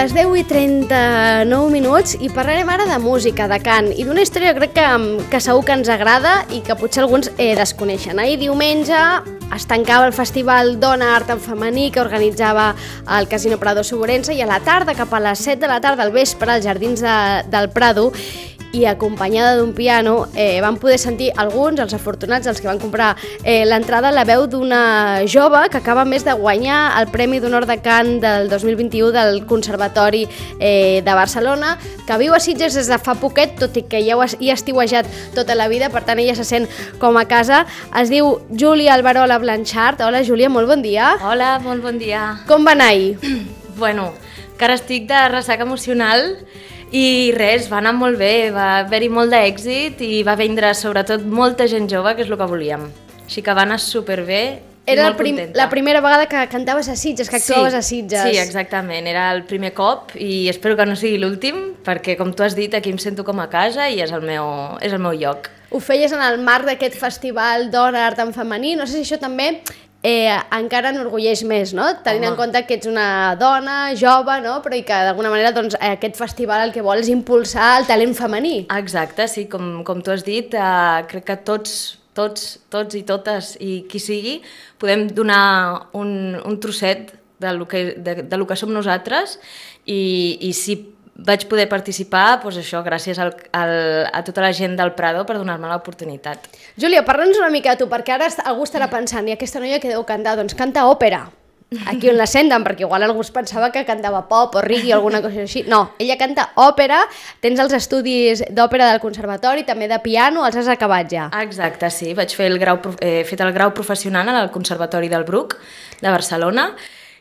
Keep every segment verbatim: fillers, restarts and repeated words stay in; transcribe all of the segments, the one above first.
les deu i trenta-nou minuts i parlarem ara de música, de cant i d'una història crec que, que segur que ens agrada i que potser alguns eh, desconeixen. Ahir diumenge es tancava el festival Dona Art en Femení que organitzava el Casino Prado Soborense i a la tarda, cap a les set de la tarda al vespre, als jardins de, del Prado, i acompanyada d'un piano eh, van poder sentir alguns, els afortunats, els que van comprar eh, l'entrada, la veu d'una jove que acaba més de guanyar el Premi d'Honor de Cant del dos mil vint-i-u del Conservatori eh, de Barcelona, que viu a Sitges des de fa poquet, tot i que ja hi ha estiuejat tota la vida, per tant ella se sent com a casa. Es diu Júlia Alberola Blanchard. Hola Júlia, molt bon dia. Hola, molt bon dia. Com va anar ahir? Bueno, que ara estic de ressaca emocional. I res, va anar molt bé, va haver-hi molt d'èxit i va vindre sobretot molta gent jove, que és el que volíem. Així que va anar superbé i Era molt prim, contenta. la primera vegada que cantaves a Sitges, que actuaves sí, a Sitges. Sí, exactament, era el primer cop i espero que no sigui l'últim, perquè com tu has dit, aquí em sento com a casa i és el meu, és el meu lloc. Ho feies en el marc d'aquest festival Dona Art en Femení, no sé si això també eh, encara enorgulleix més, no? Tenint Home. en compte que ets una dona jove, no? Però i que d'alguna manera doncs, aquest festival el que vol és impulsar el talent femení. Exacte, sí, com, com tu has dit, eh, crec que tots, tots, tots i totes i qui sigui, podem donar un, un trosset de lo que, de, de lo que som nosaltres i, i si vaig poder participar, doncs això, gràcies al, al, a tota la gent del Prado per donar-me l'oportunitat. Júlia, parla'ns una mica de tu, perquè ara algú estarà pensant, i aquesta noia que deu cantar, doncs canta òpera. Aquí on la senten, perquè igual algú es pensava que cantava pop o reggae o alguna cosa així. No, ella canta òpera, tens els estudis d'òpera del conservatori, també de piano, els has acabat ja. Exacte, sí, vaig fer el grau, he fet el grau professional al Conservatori del Bruc de Barcelona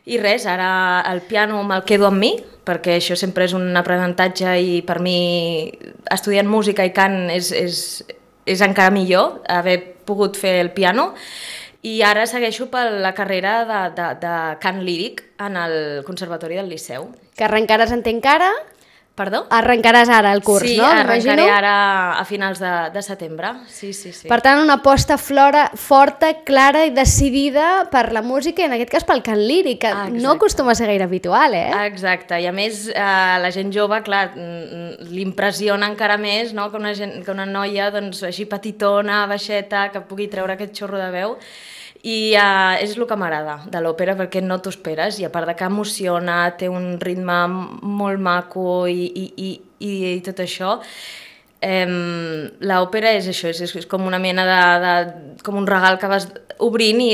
i res, ara el piano me'l quedo amb mi, perquè això sempre és un aprenentatge i per mi estudiant música i cant és, és, és encara millor haver pogut fer el piano. I ara segueixo per la carrera de, de, de cant líric en el Conservatori del Liceu. Que arrencaràs, entenc ara? Perdó? Arrencaràs ara el curs, sí, no? Sí, arrencaré ara a finals de, de setembre. Sí, sí, sí. Per tant, una aposta flora, forta, clara i decidida per la música i en aquest cas pel cant líric, que ah, no acostuma a ser gaire habitual, eh? Exacte, i a més eh, la gent jove, clar, l'impressiona encara més, no? que, una gent, que una noia doncs, així petitona, baixeta, que pugui treure aquest xorro de veu. I uh, és el que m'agrada de l'òpera, perquè no t'ho esperes, i a part de que emociona, té un ritme molt maco i, i, i, i tot això, eh, l'òpera és això, és, és com una mena de, de... com un regal que vas obrint i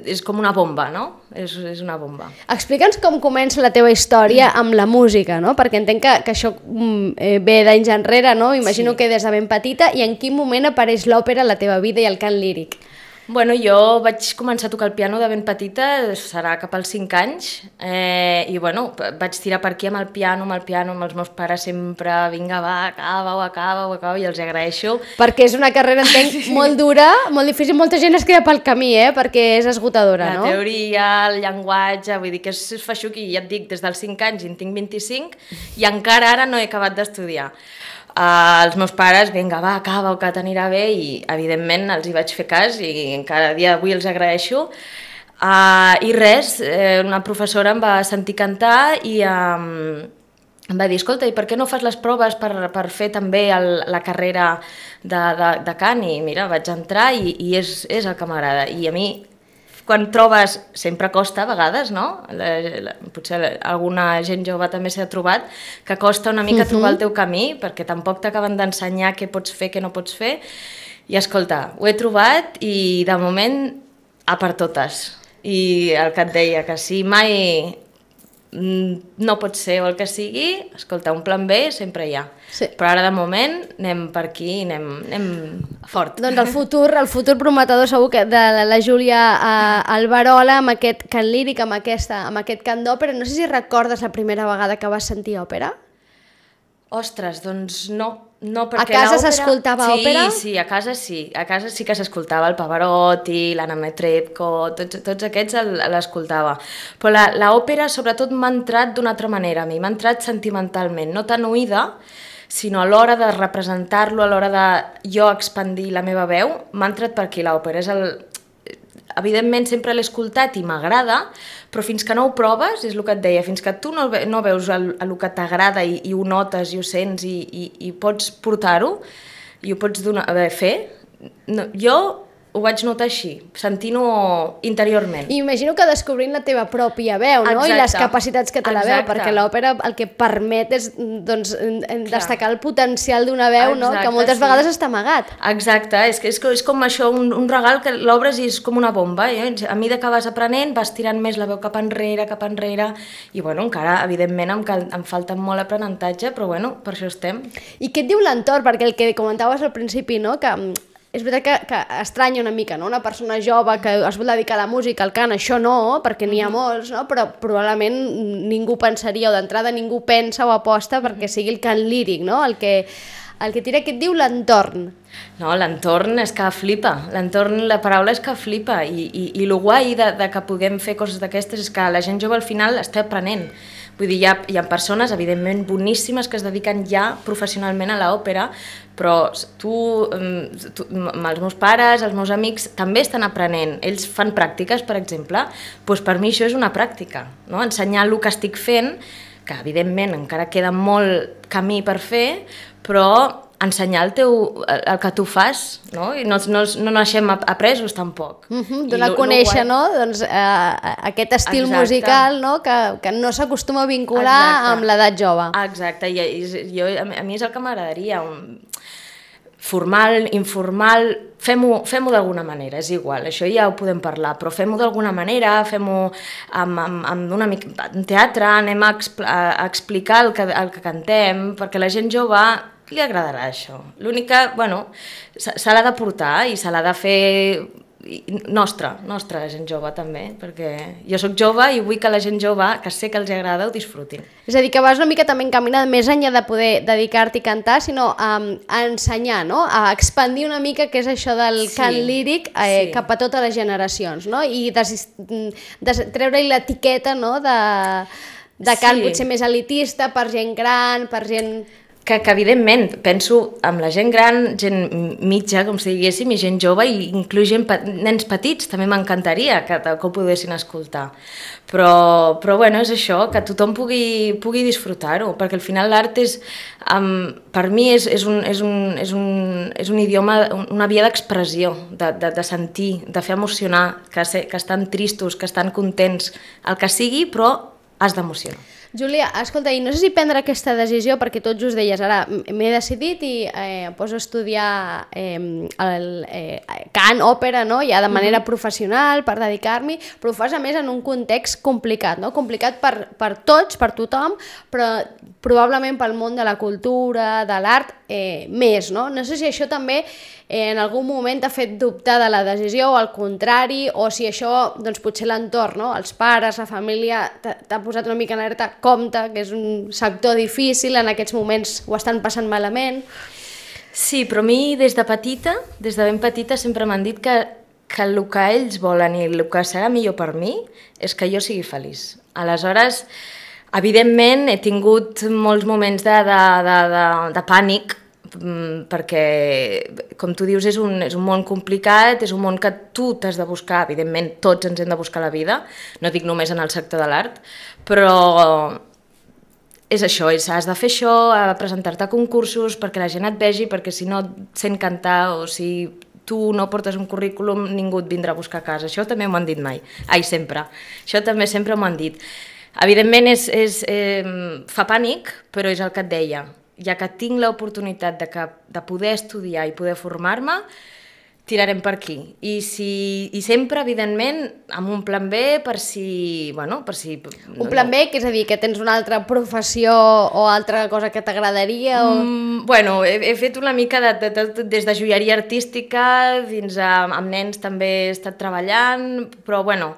és com una bomba, no? És, és una bomba. Explica'ns com comença la teva història amb la música, no? Perquè entenc que, que això eh, ve d'anys enrere, no? Imagino sí. que des de ben petita, i en quin moment apareix l'òpera a la teva vida i el cant líric? Bueno, jo vaig començar a tocar el piano de ben petita, serà cap als cinc anys, eh, i bueno, vaig tirar per aquí amb el piano, amb el piano, amb els meus pares sempre, vinga va, acaba-ho, acaba-ho, acaba-ho, i els agraeixo. Perquè és una carrera, entenc, sí. molt dura, molt difícil, molta gent es queda pel camí, eh, perquè és esgotadora, la no? La teoria, el llenguatge, vull dir que és feixuc, i ja et dic, des dels cinc anys, i en tinc vint-i-cinc, i encara ara no he acabat d'estudiar. Uh, els meus pares, vinga, va, acaba, que t'anirà bé, i evidentment els hi vaig fer cas i encara dia d'avui els agraeixo. Uh, I res, eh, una professora em va sentir cantar i um, em va dir, escolta, i per què no fas les proves per, per fer també el, la carrera de, de, de cant? I mira, vaig entrar i, i és, és el que m'agrada. I a mi, quan trobes, sempre costa a vegades, no? La, la, potser alguna gent jove també s'ha trobat, que costa una mica uh-huh. trobar el teu camí, perquè tampoc t'acaben d'ensenyar què pots fer, què no pots fer. I escolta, ho he trobat i de moment a per totes. I el que et deia, que si mai no pot ser o el que sigui, escolta, un plan B sempre hi ha. Sí. Però ara de moment anem per aquí i anem, anem fort. Doncs el futur, el futur prometedor segur que de la Júlia Alberola amb aquest cant líric, amb, aquesta, amb aquest cant d'òpera. No sé si recordes la primera vegada que vas sentir òpera? Ostres, doncs no. no perquè a casa s'escoltava sí, òpera? Sí, sí, a casa sí. A casa sí que s'escoltava el Pavarotti, l'Anna Netrebko, tots, tots aquests l'escoltava. Però l'òpera sobretot m'ha entrat d'una altra manera a mi, m'ha entrat sentimentalment, no tan oïda, sinó a l'hora de representar-lo, a l'hora de jo expandir la meva veu, m'ha entrat per aquí l'òpera. És el, evidentment sempre l'he escoltat i m'agrada, però fins que no ho proves, és el que et deia, fins que tu no, no veus el, el que t'agrada i, i ho notes i ho sents i, i, i pots portar-ho i ho pots donar, a veure, fer, no, jo ho vaig notar així, sentint-ho interiorment. I imagino que descobrint la teva pròpia veu, no? Exacte. I les capacitats que té la veu, Exacte. perquè l'òpera el que permet és doncs, destacar el potencial d'una veu, Exacte, no? Que moltes sí. vegades està amagat. Exacte, és, que és, és com això, un, un regal que l'obres i és com una bomba. Eh? A mesura que vas aprenent, vas tirant més la veu cap enrere, cap enrere, i bueno, encara, evidentment, em, cal, em falta molt aprenentatge, però bueno, per això estem. I què et diu l'entorn? Perquè el que comentaves al principi, no? Que és veritat que, que estranya una mica, no? Una persona jove que es vol dedicar a la música, al cant, això no, perquè n'hi ha molts, no? Però probablement ningú pensaria, o d'entrada ningú pensa o aposta perquè sigui el cant líric, no? El que, el que tira, que et diu l'entorn. No, l'entorn és que flipa, l'entorn, la paraula és que flipa, i, i, i el guai de, de que puguem fer coses d'aquestes és que la gent jove al final està aprenent. Vull dir, hi ha, hi ha persones, evidentment, boníssimes que es dediquen ja professionalment a l'òpera, però tu, tu, els meus pares, els meus amics, també estan aprenent. Ells fan pràctiques, per exemple, doncs per mi això és una pràctica, no? Ensenyar el que estic fent, que evidentment encara queda molt camí per fer, però ensenyar el, teu, el que tu fas, no? I no, no, no naixem apresos tampoc. Uh -huh, donar a conèixer, guai... no? Doncs, eh, aquest estil Exacte. musical, no? Que, que no s'acostuma a vincular Exacte. Amb l'edat jove. Exacte, i, i jo, a mi és el que m'agradaria, formal, informal, fem-ho fem-ho d'alguna manera, és igual, això ja ho podem parlar, però fem-ho d'alguna manera, fem-ho amb, amb, amb una mica en teatre, anem a, expl a explicar el que, el que cantem, perquè la gent jove li agradarà això. L'únic que, bueno, se l'ha de portar i se l'ha de fer nostra, nostra la gent jove també, perquè jo sóc jove i vull que la gent jove, que sé que els agrada, ho disfrutin. És a dir, que vas una mica també encaminada més enllà de poder dedicar-t'hi a cantar, sinó a, a ensenyar, no? A expandir una mica què és això del sí, cant líric eh, sí. cap a totes les generacions, no? I des, des, treure-hi l'etiqueta, no? de, de cant sí. potser més elitista, per gent gran, per gent... Que, que evidentment, penso amb la gent gran, gent mitja, com si diguéssim, i gent jove, i inclús gent, nens petits, també m'encantaria que, que ho poguessin escoltar. Però, però bueno, és això, que tothom pugui, pugui disfrutar-ho, perquè al final l'art és, um, per mi és, és, un, és, un, és, un, és un idioma, una via d'expressió, de, de, de sentir, de fer emocionar, que, se, que estan tristos, que estan contents, el que sigui, però has d'emocionar. Júlia, escolta, i no sé si prendre aquesta decisió, perquè tot just deies, ara m'he decidit i eh, poso a estudiar eh, el eh, cant, òpera, no? Ja de manera mm-hmm. professional, per dedicar-m'hi, però ho fas a més en un context complicat, no? Complicat per, per tots, per tothom, però probablement pel món de la cultura, de l'art, eh, més, no? No sé si això també eh, en algun moment t'ha fet dubtar de la decisió o al contrari, o si això, doncs potser l'entorn, no? Els pares, la família, t'ha posat una mica en alerta, compte, que és un sector difícil, en aquests moments ho estan passant malament. Sí, però a mi des de petita, des de ben petita, sempre m'han dit que, que el que ells volen i el que serà millor per mi és que jo sigui feliç. Aleshores, evidentment, he tingut molts moments de, de, de, de, de pànic, perquè, com tu dius, és un, és un món complicat, és un món que tu t'has de buscar, evidentment tots ens hem de buscar la vida, no dic només en el sector de l'art, però és això, és, has de fer això, has de presentar-te a concursos perquè la gent et vegi, perquè si no et sent cantar o si tu no portes un currículum ningú et vindrà a buscar a casa, això també m'ho han dit mai, ai, sempre, això també sempre m'ho han dit. Evidentment és, és, eh, fa pànic, però és el que et deia, ja que tinc l'oportunitat de, que, de poder estudiar i poder formar-me, tirarem per aquí. I, si, i sempre, evidentment, amb un plan B per si... Bueno, per si un plan B, que és a dir, que tens una altra professió o altra cosa que t'agradaria? O... Mm, bueno, he, he fet una mica de, de, de, des de joieria artística fins a amb nens també he estat treballant, però bueno...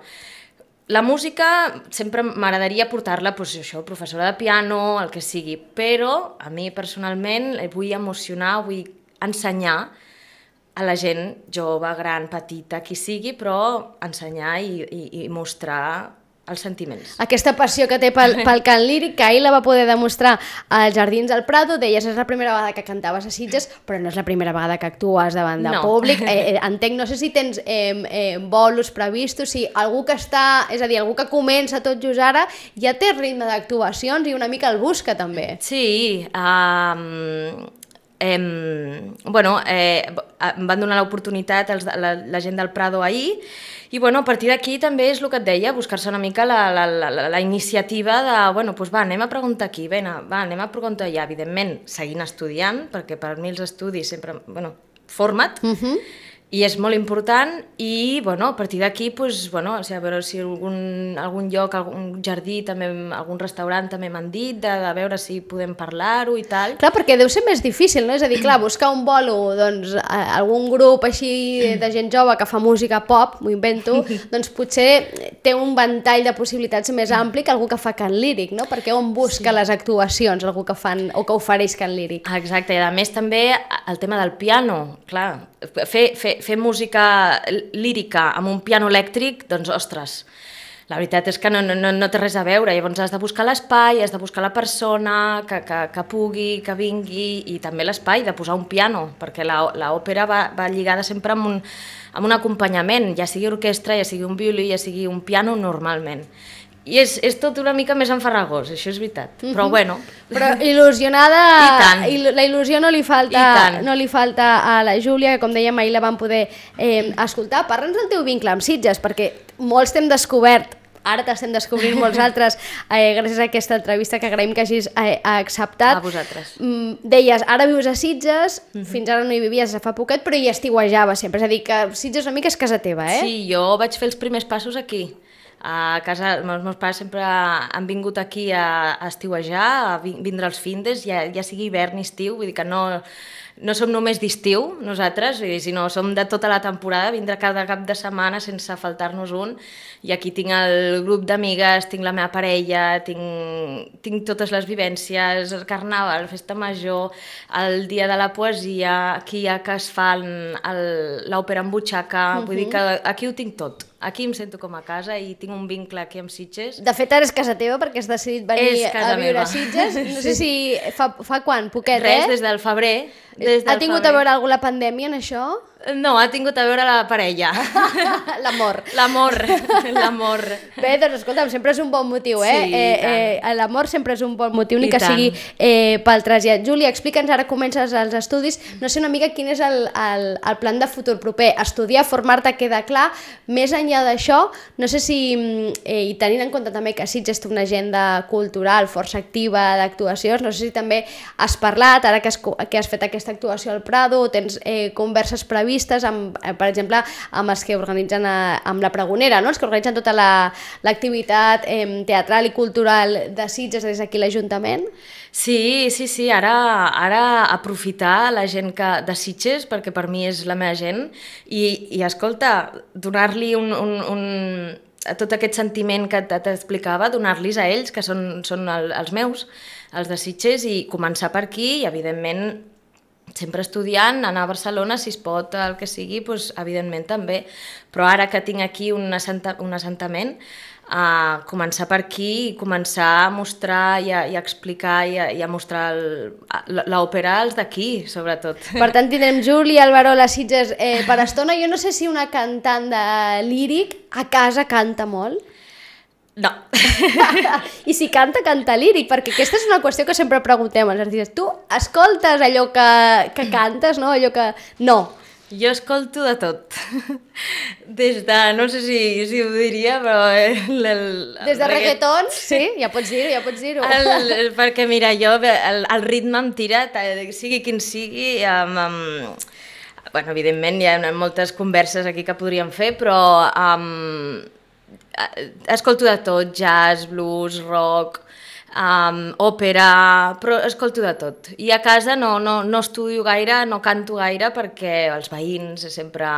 La música sempre m'agradaria portar-la, doncs això, professora de piano, el que sigui, però a mi personalment vull emocionar, vull ensenyar a la gent jove, gran, petita, qui sigui, però ensenyar i, i, i mostrar els sentiments. Aquesta passió que té pel, pel cant líric, que ahir la va poder demostrar als Jardins del Prado, deies, és la primera vegada que cantaves a Sitges, però no és la primera vegada que actues davant de no. públic. Eh, entenc, no sé si tens eh, eh, bolos previstos, si algú que està, és a dir, algú que comença tot just ara, ja té ritme d'actuacions i una mica el busca també. Sí, um... Eh, bueno, eh, em van donar l'oportunitat la, la gent del Prado ahir i bueno, a partir d'aquí també és el que et deia, buscar-se una mica la, la, la, la iniciativa de, bueno, doncs va, anem a preguntar aquí, bé, va, anem a preguntar allà, evidentment seguint estudiant, perquè per mi els estudis sempre, bueno, forma't, uh-huh. i és molt important i bueno, a partir d'aquí pues, bueno, o sigui, a veure si algun, algun lloc, algun jardí, també, algun restaurant també m'han dit de, de veure si podem parlar-ho i tal. Clar, perquè deu ser més difícil, no? És a dir, clar, buscar un bolo, doncs, algun grup així de gent jove que fa música pop, m'ho invento, doncs potser té un ventall de possibilitats més ampli que algú que fa cant líric, no? Perquè on busca sí. les actuacions, algú que fan o que ofereix cant líric. Exacte, i a més també el tema del piano, clar, fer, fer, fer música lírica amb un piano elèctric, doncs, ostres, la veritat és que no, no, no té res a veure. Llavors has de buscar l'espai, has de buscar la persona que, que, que pugui, que vingui, i també l'espai de posar un piano, perquè l'òpera va, va lligada sempre amb un, amb un acompanyament, ja sigui orquestra, ja sigui un violí, ja sigui un piano normalment. I és, és tot una mica més enfarragós, això és veritat, però mm-hmm. bueno... Però il·lusionada, I tant. il, la il·lusió no li, falta, no li falta a la Júlia, que com dèiem ahir la vam poder eh, escoltar. Parla'ns del teu vincle amb Sitges, perquè molts t'hem descobert, ara t'estem descobrint molts altres, eh, gràcies a aquesta entrevista que agraïm que hagis eh, acceptat. A vosaltres. Mm, deies, ara vius a Sitges, mm-hmm. fins ara no hi vivies fa poquet, però hi estiuejava sempre, és a dir, que Sitges una mica és casa teva, eh? Sí, jo vaig fer els primers passos aquí. A casa, els meus pares sempre han vingut aquí a, a estiuejar, a vindre als findes, ja, ja sigui hivern i estiu, vull dir que no, no som només d'estiu nosaltres, sinó som de tota la temporada, vindre cada cap de setmana sense faltar-nos un, i aquí tinc el grup d'amigues, tinc la meva parella, tinc, tinc totes les vivències, el carnaval, festa major, el dia de la poesia, aquí ja que es fan l'òpera en butxaca, uh-huh. vull dir que aquí ho tinc tot. Aquí em sento com a casa i tinc un vincle aquí amb Sitges. De fet, ara és casa teva perquè has decidit venir a viure meva. a Sitges. No sé si fa, fa quan, poquet, Res, eh? des del febrer. Des del ha tingut febrer. a veure alguna pandèmia en això? No, ha tingut a veure la parella. L'amor. L'amor, l'amor. Bé, doncs escolta'm, sempre és un bon motiu, eh? Sí, eh, eh l'amor sempre és un bon motiu, ni I que tant. sigui eh, pel trasllat. Júlia, explica'ns, ara comences els estudis, no sé una mica quin és el, el, el plan de futur proper. Estudiar, formar-te, queda clar. Més enllà d'això, no sé si, eh, i tenint en compte també que Sitges té una agenda cultural força activa d'actuacions, no sé si també has parlat, ara que has, que has fet aquesta actuació al Prado, o tens eh, converses previstes amb, eh, per exemple, amb els que organitzen a, amb la Pregonera, no? Els que organitzen tota l'activitat la, eh, teatral i cultural de Sitges des d'aquí l'Ajuntament. Sí, sí, sí, ara, ara aprofitar la gent que, de Sitges, perquè per mi és la meva gent, i, i escolta, donar-li un, un, un, tot aquest sentiment que t'explicava, donar-los a ells, que són, són el, els meus, els de Sitges, i començar per aquí, i evidentment sempre estudiant, anar a Barcelona, si es pot, el que sigui, doncs, evidentment també. Però ara que tinc aquí un, assenta, un assentament, a començar per aquí i començar a mostrar i a, i a explicar i a, i a mostrar l'òpera als d'aquí, sobretot. Per tant, tindrem Júlia Alberol a Sitges eh, per estona. Jo no sé si una cantant de líric a casa canta molt. No. I si canta, canta líric, perquè aquesta és una qüestió que sempre preguntem als artistes. Tu escoltes allò que, que cantes, no? Allò que... No. Jo escolto de tot. Des de, no sé si, si ho diria, però... El, el, Des de reggaeton, sí, ja pots dir-ho, ja pots dir-ho. El, el, perquè mira, jo, el, el ritme em tira, sigui quin sigui, amb... amb bueno, evidentment hi ha moltes converses aquí que podríem fer, però... Um, escolto de tot, jazz, blues, rock, um, òpera, però escolto de tot. I a casa no, no, no estudio gaire, no canto gaire, perquè els veïns sempre...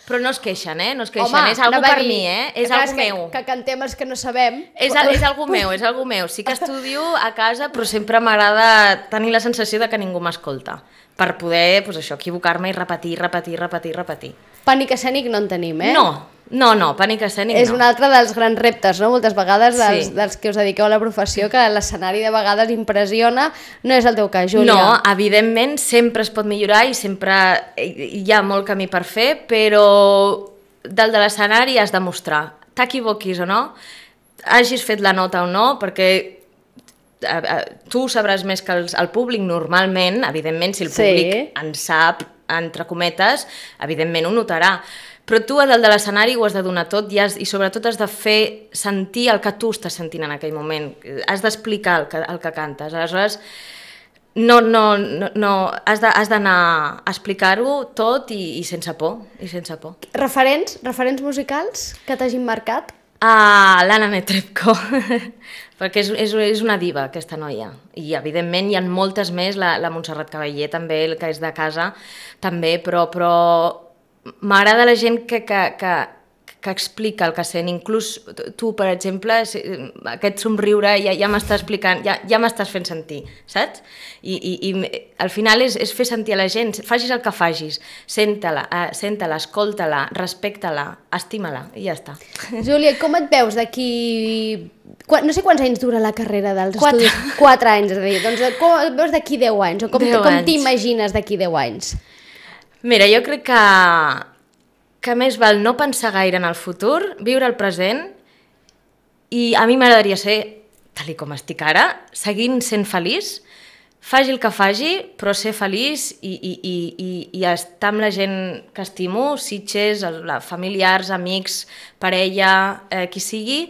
Però no es queixen, eh? No es queixen. Home, és algo per dir, mi, eh? És algo que, meu. Que cantem els que no sabem. És, és algo meu, és algo meu. Sí que estudio a casa, però sempre m'agrada tenir la sensació de que ningú m'escolta, per poder, doncs això, equivocar-me i repetir, repetir, repetir, repetir. Pànic escènic no en tenim, eh? No, No, no, pànic escènic És no. un altre dels grans reptes, no? Moltes vegades dels, Sí. dels que us dediqueu a la professió, que l'escenari de vegades impressiona, no és el teu cas, Júlia. No, evidentment sempre es pot millorar i sempre hi ha molt camí per fer, però dalt de l'escenari has de mostrar, t'equivoquis o no, hagis fet la nota o no, perquè eh, eh, tu sabràs més que els, el públic normalment, evidentment, si el públic Sí. en sap, entre cometes, evidentment ho notarà. Però tu a dalt de l'escenari ho has de donar tot i, has, i sobretot has de fer sentir el que tu estàs sentint en aquell moment. Has d'explicar el, que, el que cantes. Aleshores, no, no, no, no, has de- has d'anar a explicar-ho tot i, i sense por. I sense por. Referents, referents musicals que t'hagin marcat? Ah, l'Anna Netrebko, perquè és, és, és una diva aquesta noia, i evidentment hi ha moltes més, la, la Montserrat Caballé també, el que és de casa també, però, però m'agrada la gent que, que, que, que explica el que sent, inclús tu, per exemple, aquest somriure ja, ja m'està explicant, ja, ja m'estàs fent sentir, saps? I, i, i al final és, és fer sentir a la gent, facis el que facis, senta-la, eh, senta-la, escolta-la, respecta-la, estima-la, i ja està. Júlia, com et veus d'aquí... Qua- No sé quants anys dura la carrera dels Quatre. estudis. Quatre anys, és a dir. Doncs com et veus d'aquí deu anys? O com, Deu com anys. t'imagines d'aquí deu anys? Mira, jo crec que, que més val no pensar gaire en el futur, viure el present, i a mi m'agradaria ser, tal i com estic ara, seguint sent feliç, faci el que faci, però ser feliç i, i, i, i, i estar amb la gent que estimo, Sitges, el- la- familiars, amics, parella, eh, qui sigui,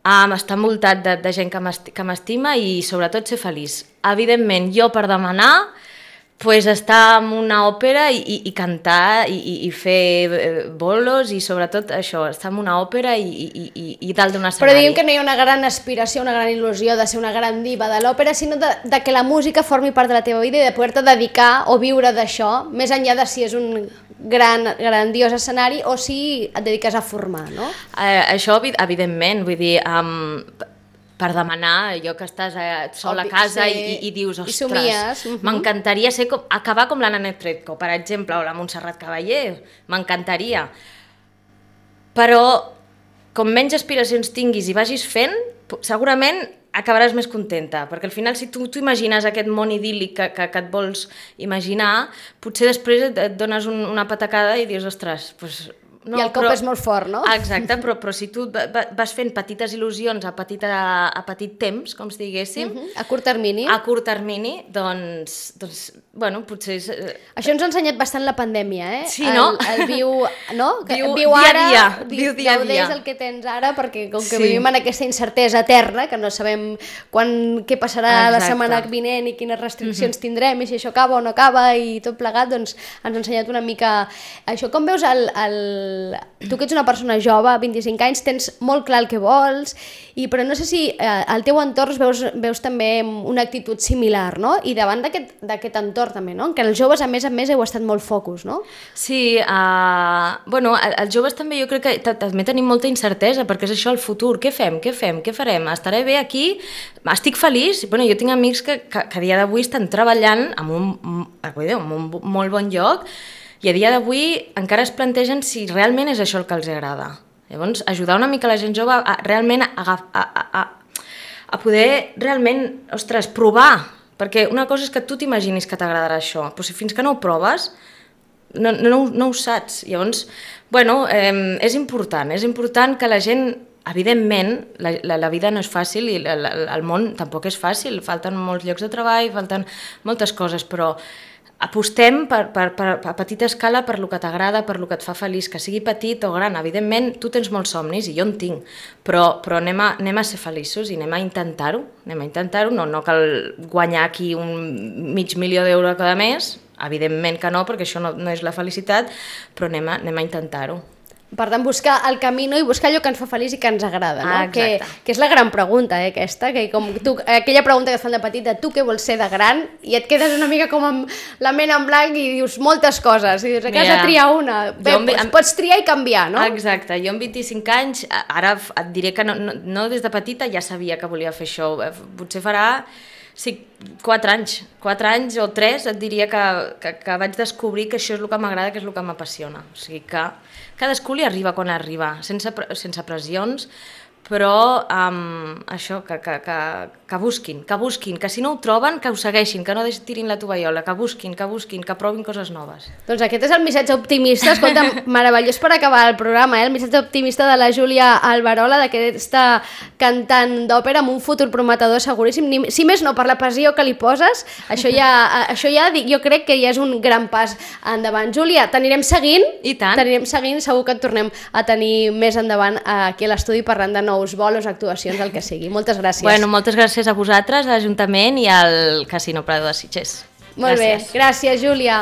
um, estar envoltat de, de gent que m'esti- que m'estima i sobretot ser feliç. Evidentment, jo per demanar, pues estar en una òpera i, i, i cantar i, i, i fer eh, bolos i sobretot això, estar en una òpera i, i, i, i dalt d'un Però escenari. diguem que no hi ha una gran aspiració, una gran il·lusió de ser una gran diva de l'òpera, sinó de, de que la música formi part de la teva vida i de poder-te dedicar o viure d'això, més enllà de si és un gran, grandiós escenari o si et dediques a formar, no? Eh, això, evi- evidentment, vull dir, um, per demanar, allò que estàs eh, sol a Obvi, casa sí. i, i dius, I ostres, somies, mhm. m'encantaria ser com, acabar com l'Anna Netrebko, per exemple, o la Montserrat Caballé, m'encantaria. Però, com menys aspiracions tinguis i vagis fent, po- segurament acabaràs més contenta, perquè al final si tu t'imagines aquest món idíl·lic que, que, que et vols imaginar, potser després et, et dones un, una patacada i dius, ostres, doncs... I el cop és molt fort, no? Exacte, però, però si tu va- va- vas fent petites il·lusions a, petita, a petit temps, com si diguéssim, Mhm. A curt termini. a curt termini, doncs, doncs bueno, potser... És, eh, Això ens ha ensenyat bastant la pandèmia, eh? Sí, no? El, el viu, no? Que Viu viu dia a ara, dia, di- viu dia a gaudeix dia. el que tens ara, perquè com que Sí. vivim en aquesta incertesa eterna, que no sabem quan, què passarà la Exacte. setmana vinent i quines restriccions tindrem, i si això acaba o no acaba, i tot plegat, doncs ens ha ensenyat una mica això. Com veus el... el... Tu que ets una persona jove, vint-i-cinc anys, tens molt clar el que vols, i, però no sé si eh, al teu entorn veus, veus també una actitud similar, no? I davant d'aquest d'aquest entorn també, no? En què els joves, a més a més, heu estat molt focus, no? Sí, uh, bueno, el- els joves també jo crec que ta- també tenim molta incertesa, perquè és això el futur, què fem, què fem, què farem? Estaré bé aquí? Estic feliç? Bueno, jo tinc amics que, que, que a dia d'avui estan treballant en un, en un molt bon lloc i a dia d'avui encara es plantegen si realment és això el que els agrada. Llavors, ajudar una mica la gent jove a realment a, a, a, a, a poder realment, ostres, provar, perquè una cosa és que tu t'imaginis que t'agradarà això, però si fins que no ho proves, no, no, no ho saps. Llavors, bueno, eh, és important, és important que la gent, evidentment, la, la, la vida no és fàcil i la, la, el món tampoc és fàcil, falten molts llocs de treball, falten moltes coses, però apostem per, per, per, a petita escala per lo que t'agrada, per lo que et fa feliç, que sigui petit o gran. Evidentment, tu tens molts somnis i jo en tinc, però, però anem, a, anem a ser feliços i anem a intentar-ho, anem a intentar-ho, no, no cal guanyar aquí un mig milió d'euros cada mes, evidentment que no, perquè això no, no és la felicitat, però anem a, anem a intentar-ho. Per tant, buscar el camí, no? I buscar allò que ens fa feliç i que ens agrada, no? Ah, que, exacte. que és la gran pregunta, eh, aquesta, que com tu, aquella pregunta que et fan de petita, tu què vols ser de gran? I et quedes una mica com amb la ment en blanc i dius moltes coses, i dius, que has de Mira, triar una. Bé, jo amb- pots, amb- pots triar i canviar, no? Exacte, jo amb vint-i-cinc anys, ara f- et diré que no, no, no des de petita ja sabia que volia fer això, Eh, potser farà Sí, quatre anys, quatre anys o tres et diria que, que, que vaig descobrir que això és el que m'agrada, que és el que m'apassiona. O sigui que cadascú li arriba quan arriba, sense, sense pressions, però um, això, que, que, que, que busquin, que busquin, que si no ho troben, que ho segueixin, que no tirin la tovallola, que busquin, que busquin, que provin coses noves. Doncs aquest és el missatge optimista, escolta, meravellós per acabar el programa, eh? El missatge optimista de la Júlia Alberola, d'aquesta cantant d'òpera amb un futur prometedor seguríssim, Ni, si més no per la passió que li poses, això ja, això ja jo crec que ja és un gran pas endavant. Júlia, t'anirem seguint, i tant, t'anirem seguint, segur que et tornem a tenir més endavant aquí a l'estudi parlant de nous bolos, actuacions, el que sigui. Moltes gràcies. Bueno, moltes gràcies a vosaltres, a l'Ajuntament i al Casino Prado de Sitges. Molt gràcies. bé, gràcies Júlia.